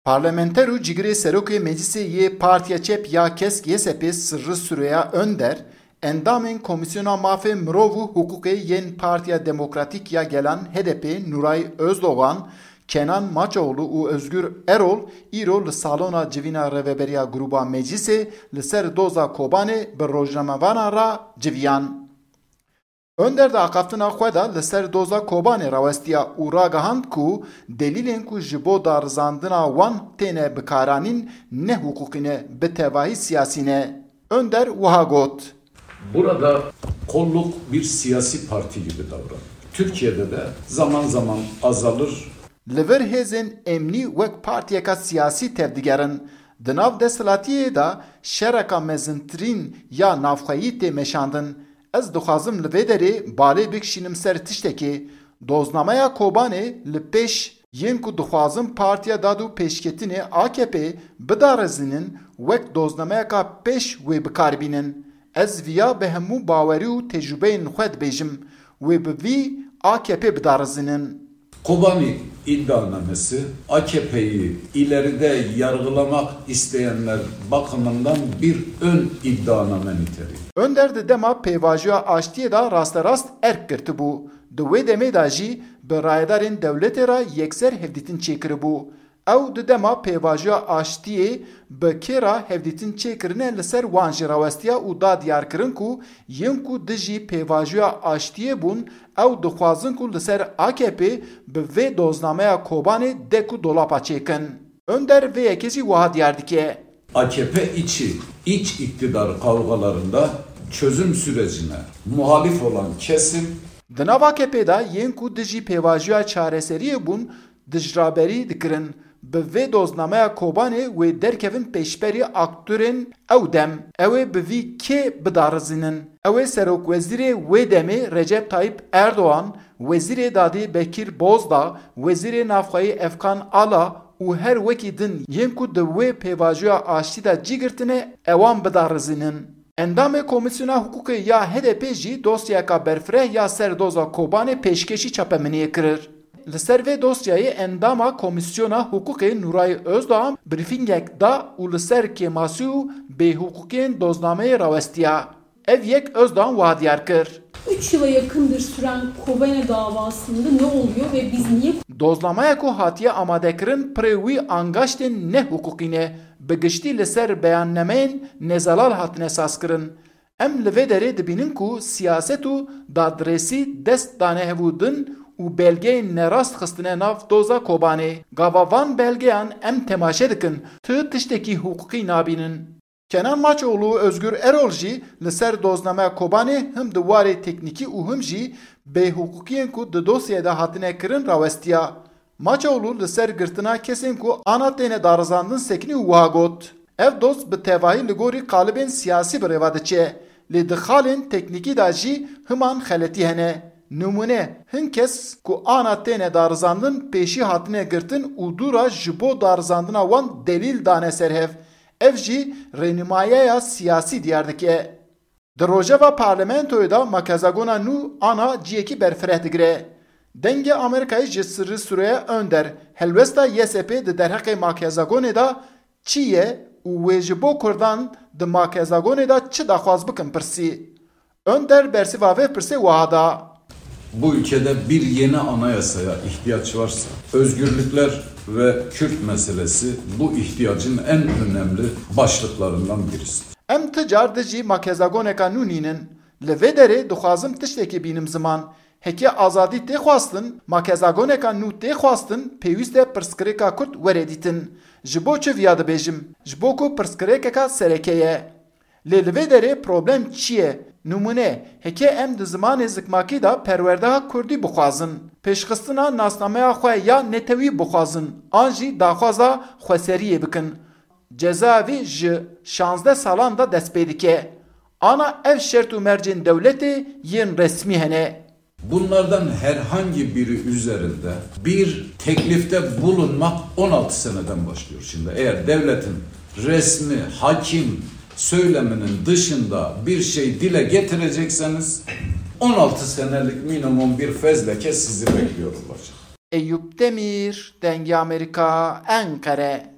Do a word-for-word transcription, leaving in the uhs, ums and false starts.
Parlamenter û cigirê serokê Meclisê yê Partiya Çep ya Kesk Y S P Sirri Süreyya Önder, endamên Komîsyona Mafê Mirov û Hiqûqê yên Partiya Demokratîk ya Gelan H D P Nuray Özdoğan, Kenan Maçoğlu û Özgür Erol îro li salona civîna rêveberiya Grûba Meclisê li ser doza Kobanê bi rojnamevanan re civiyan. Önder di axaftina xwe de li ser doza Kobanê rawestiya û ragihand ku delîlên ku ji bo darizandina wan têne bikaranîn ne hiqûqî ne, bi tevahî siyasî ne. Önder wiha got. Burada kolluk bir siyasi parti gibi davranır. Türkiye'de de zaman zaman azalır. Li vir hêzên emnî wek partiyeka siyasî tevdigerin. Di nav desthilatiyê de şereka mezintirîn ya navxweyî tê meşandin. Ez dixwazim li vê derê balê bikişînim ser tiştekê. Doznameya Kobanê li pêş yên ku dixwazin Partiya Dad û Pêşketinê A K P bidarizînin wek doznameyeka pêş wê bi kar bînin. Ez viya bi hemû bawerî û tecrûbeyên xwe dibêjim, wê bi vî A K P bidarizînin. Kobani iddianamesi A K P'yi ileride yargılamak isteyenler bakımından bir ön iddianame niteliği. Önder di dema pêvajoya aştiyê de rasterast erk girtibû. Di wê demê de jî bi rayedarên dewletê re yekser hevdîtin çêkiribû. Ew di dema pêvajoya aştiyê bi kê re hevdîtin çêkirine li ser wan jî rawestiya û da diyarkirin ku yên ku dijî pêvajoya aştiyê bûn, ew dixwazin ku li ser A K P bi vê doznameya Kobanê dek û dolapa çêkin. Önder vê yekê jî wiha diyar dike. A K P içi, iç iktidar kavgalarında çözüm sürecine muhalif olan kesim Di nav A K P de yên ku dijî pêvajoya çareseriyê bûn, dijraberî dikirin. Bi vê doznameya Kobanê wê derkevin pêşberî aktorên ew dem. Ew ê bi vî kê bidarizînin? Ew ê serokwezîrê wê demê Recep Tayyip Erdoğan, Wezîrê Dadê Bekir Bozdağ, Wezîrê Navxweyî Efkan Ala û her wekî din yên ku di wê pêvajoya aştî de cî girtine, ewan bidarizînin. Endamê Komîsyona Hiqûqê ya H D P jî dosyayeka berfireh ya ser doza Kobanê pêşkêşî çapemeniyê kirir. Li ser vê dosyayê endama Komîsyona Hiqûqê Nuray Özdoğan brîfîngek da û li ser kêmasî û bêhiqûqiyên doznameyê rawestiya. Ev yek Özdoğan wiha diyar kir. Üç yıla yakındır süren Kobane davasında ne oluyor ve biz niye Doznameya ku hatiye amadekirin pirê wî angaştên nehiqûqî ne, bi giştî li ser beyannameyên nezelal hatine sazkirin. Em li vê derê dibînin ku siyaset û dadresî dest dane hevûdin û belgeyên nerast xistine nav doza Kobanê. Gava van belgeyan em temaşe dikin, tu tiştekî hiqûqî nabînin. Kenan Maçoğlu û Özgür Erol jî li ser doznameya Kobanê him di warê teknîkî û him jî bêhiqûqiyên ku di dosyayê de hatine kirin rawestiya. Maçoğlu li ser girtina kesên ku ana têne darizandin sekinî û wiha got, Ev doz bi tevahî li gorî qalibên siyasî bi rêva diçe, lê di xalên teknîkî de jî himan xeletî hene. Nimûne, hin kes ku ana têne darizandin pêşî hatine girtin û dû re ji bo darizandina wan delîl dane ser hev. Ev jî rênûmayeya siyasî diyar dike. Di rojeva parlamentoyê de makezagona nû ana ciyekî berfireh digire. Dengê Amerîkayê ji Sirri Süreyya Önder, helwesta Y S P di derheqê makezagonê de çi ye û wê ji bo Kurdan di makezagonê de çi daxwaz bikin pirsî. Önder bersiva vê pirsê wiha da. Bu ülkede bir yeni anayasaya ihtiyaç varsa, özgürlükler ve Kürt meselesi bu ihtiyacın en önemli başlıklarından birisidir. Em ti car dijî makezagoneka nû nînin. Li vê derê dixwazim tiştekê bînim ziman. Heke azadî tê xwestin, makezagoneka nû tê xwestin, pêwîst e pirsgirêka Kurd were dîtin. Ji bo çi viya dibêjim? Ji bo ku pirsgirêkeka sereke ye. Lê li vê derê problem çi ye? Nimûne, heke em di zimanê zikmakî de perwerdeha kurdî bixwazin, pêşxistina nasnameya xwe ya netewî bixwazin, an jî daxwaza xweseriyê bikin, ceza vî ji şazdeh salan de dest pê dike. Ana ev şert û mercên dewletê yên resmî hene. Bunlardan herhangi biri üzerinde bir teklifte bulunmak on altı seneden başlıyor şimdi. Eğer devletin resmi, hakim söyleminin dışında bir şey dile getirecekseniz on altı senelik minimum bir fezleke sizi bekliyor olacak. Eyüp Demir, Dengê Amerîka, Enqere.